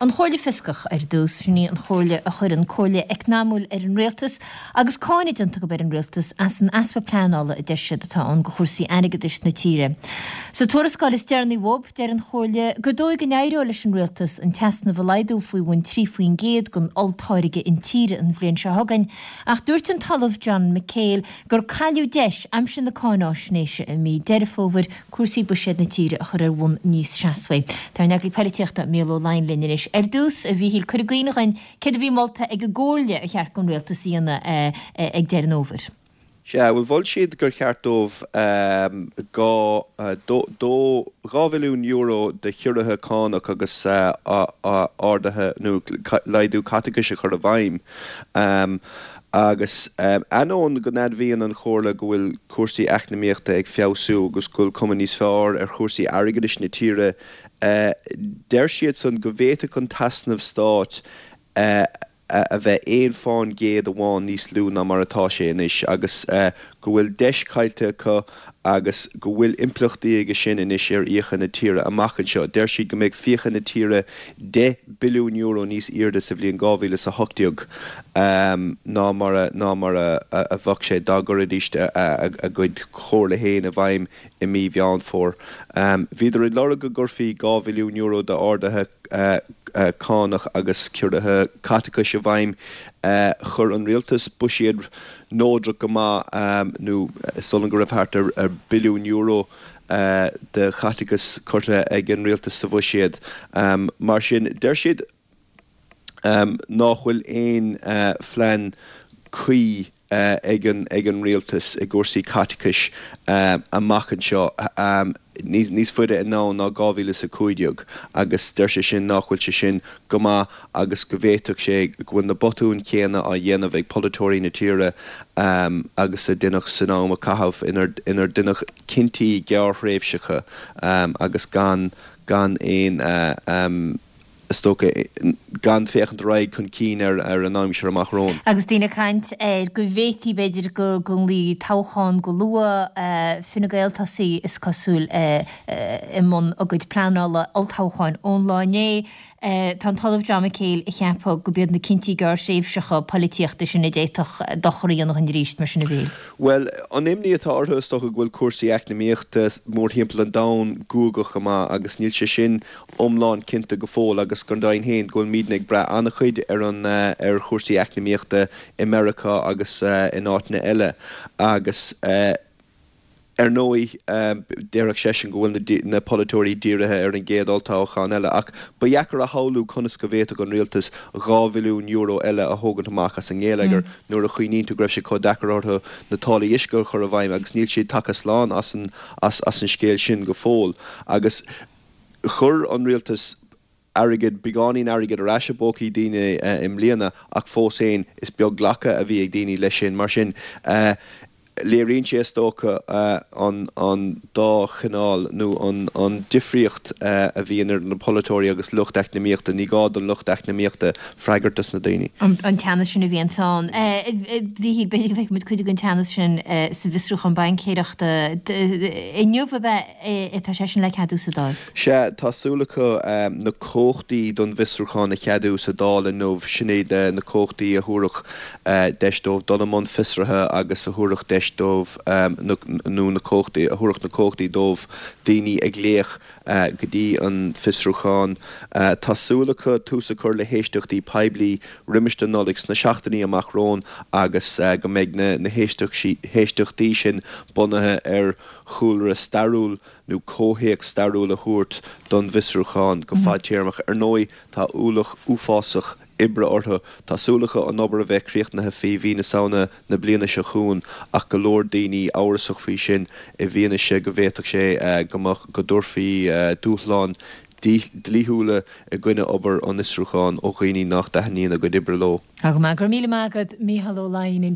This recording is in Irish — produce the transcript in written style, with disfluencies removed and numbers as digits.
An Chomhairle Fioscach ar dtús, sin í an chomhairle a chuireann comhairle eacnamúil ar an rialtas agus cáineadh déanta acu ar an rialtas as an easpa pleanála a deir siad atá ann do chúrsaí airgeadais na tíre. Sa tuarascáil is deireanaí uathub, deir an Chomhairle gur dóigh go n-éireoidh leis an rialtas an t-easnamh a laghdú faoi bhun 3% den olltáirge intíre an bhliain seo chugainn ach dúirt an tOllamh John McHale gur cailleadh deis aimsir na cáináisnéise i mí Deireadh Fómhair cúrsaí buiséid na tíre a chur ar bhonn níos seasmhaí. Tá ár n-eagraí poilitíochta, Mícheál Ó Laighin linn anois. Ar dtús, a Mhíchíl, cuir i gcuimhne dhuinn céard a bhí molta ag an gComhairle ar cheart don Rialtas a dhéanamh ag deireadh an fhómhair. Sea, bhuel, mhol siad gur cheart dóibh €2 bhilliún de chiorruithe cánach agus arduithe nó laghdú caiteachais a chur i bhfeidhm. Agus ainneoin go n-admhaíonn an Chomhairle go bhfuil cúrsaí eacnamaíochta ag feabhsú agus go bhfuil cuma níos fearr ar chúrsaí airgeadais na tíre, deir siadsan go bhféadfadh an t-easnamh stáit a bheith aon fán gcéad amháin níos lú ná mar atá sé anois agus go bhfuil deis caillte acu agus go bhfuil impleachtaí aige sin anois ar fhiacha na tíre amach anseo. Deir siad go mbeidh fiacha na tíre €10 billiún níos airde sa bhliain 2018 ná mar a ná mar a bheadh sé dá gcuirfidís a gcuid comhairle féin i bhfeidhm i mí Mheán Fómhair. Bhíodar ag lorg go gcuirfí €2 bhilliún d'arduithe cánach agus ciorruithe caiteachais i bhfeidhm. Chuir an rialtas buiséad neodrach go maith, nó is dóigh liom go raibh thart ar billiún euro de chaiteachas curtha ag an rialtas sa bhuiséad. Mar sin, deir siad nách bhfuil aon phlean cuí ag an rialtas i gcúrsaí caiteachais amach anseo níos faide anonn ná 2015 agus deir sé sin nách bhfuil sé sin go maith agus go bhféadfadh sé go bhfuil na botúin chéanna á dhéanamh ag polaiteoirí na tíre agus a deineadh san am a caitheadh inar deineadh cinntí gearrthréimhseacha agus gan gan aon is dócha, gan féachaint ar aghaidh chun cinn ar an aimsir amach romhainn. Agus daoine ag caint ar go bhféadfaí, b'fhéidir, go nglaofaí toghchán go luath, Fine Gael tosaithe, is cosúil, i mbun a gcuid pleanála olltoghcháin ón lá inné. Tá an tOllamh John McHale ag ceapadh gurb iad na cinntí gearrthréimhseacha poilitíochta sin a d'fhéadfadh dochar a dhéanamh dhúinn arís, mar sin a Mhíchíl. Bhuel, an imní atá orthu, is dócha, go bhfuil cúrsaí eacnamaíochta mórthimpeall an domhain guagach go maith agus níl sé sin iomlán cinnte go fóill agus go deimhin féin go bhfuilimidne ag brath an-chuid ar an ar chúrsaí eacnamaíochta i Meiriceá agus in áiteanna eile agus ar ndóigh déarfadh seisean go bhfuil na polaiteoirí dírithe ar an gcéad olltoghchán eile ach ba dheacair a shamhlú conas go bhféadfadh an rialtas €2 bhilliún eile a thógaint amach as an ngeilleagar nuair a chuimhníonn tú go raibh sé chomh deacair orthu na táillí uisce a chur i bhfeidhm agus níl siad tagtha slán as an as an scéal sin go fóill agus Chuir an rialtas airgead, beagáinín airgid ar ais i bpócaí daoine i mbliana ach fós féin is beag glacadh a bhí ag daoine leis sin. Mar sin, léiríonn sé is dócha an dá chineál nó an difríocht a bhíonn idir na polaiteoirí agus lucht eacnamaíochta. Ní gá don lucht eacnamaíochta freagairt dos na daoine. An teannas sin a bhíonns ann. A Mhíchíl, b'fhéidir go bhfeicfidh muid cuid den teannas sin sa bhfiosrúchán baincéireachta inniu, ab ea? Tá sé sin le ceadú sa Dáil. Sea, tá súil acu na cumhachtaí don bhfiosrúchán a cheadú sa Dáil inniu. Sin iad na cumhachtaí a thabharfadh deis dóibh dul i mbun fiosraithe agus a thabharfadh deis dóibh nó na cumhachtaí, a thabharfadh na cumhachtaí dóibh daoine a ghlaoch go dtí an fiosrúchán. Tá súil acu tús a chur le héisteachtaí poiblí roimis an Nollaig sna seachtainí amach romhainn agus go mbeidh na héisteachtaí sin bunaithe ar chúlra stairiúil nó comhthéacs stairiúil a thabhairt don bhfiosrúchán go fadtéarmach. Ar ndóigh, tá ualach uafásach oibre orthu. Tá súil acu an obair a bheith críochnaithe faoi mhí na Samhna na bliana seo chugainn ach go leor daoine amhrasach faoi sin i bhfianaise go bhféadfadh sé go mbeadh, go dtabharfaí dúshláin dlíthiúla i gcoinne obair an fhiosrúcháin ó dhaoine nach dtaitníonn a gcuid oibre leo. Tá go maith. Go raibh míle maith agat, Mícheál Ó Laighin.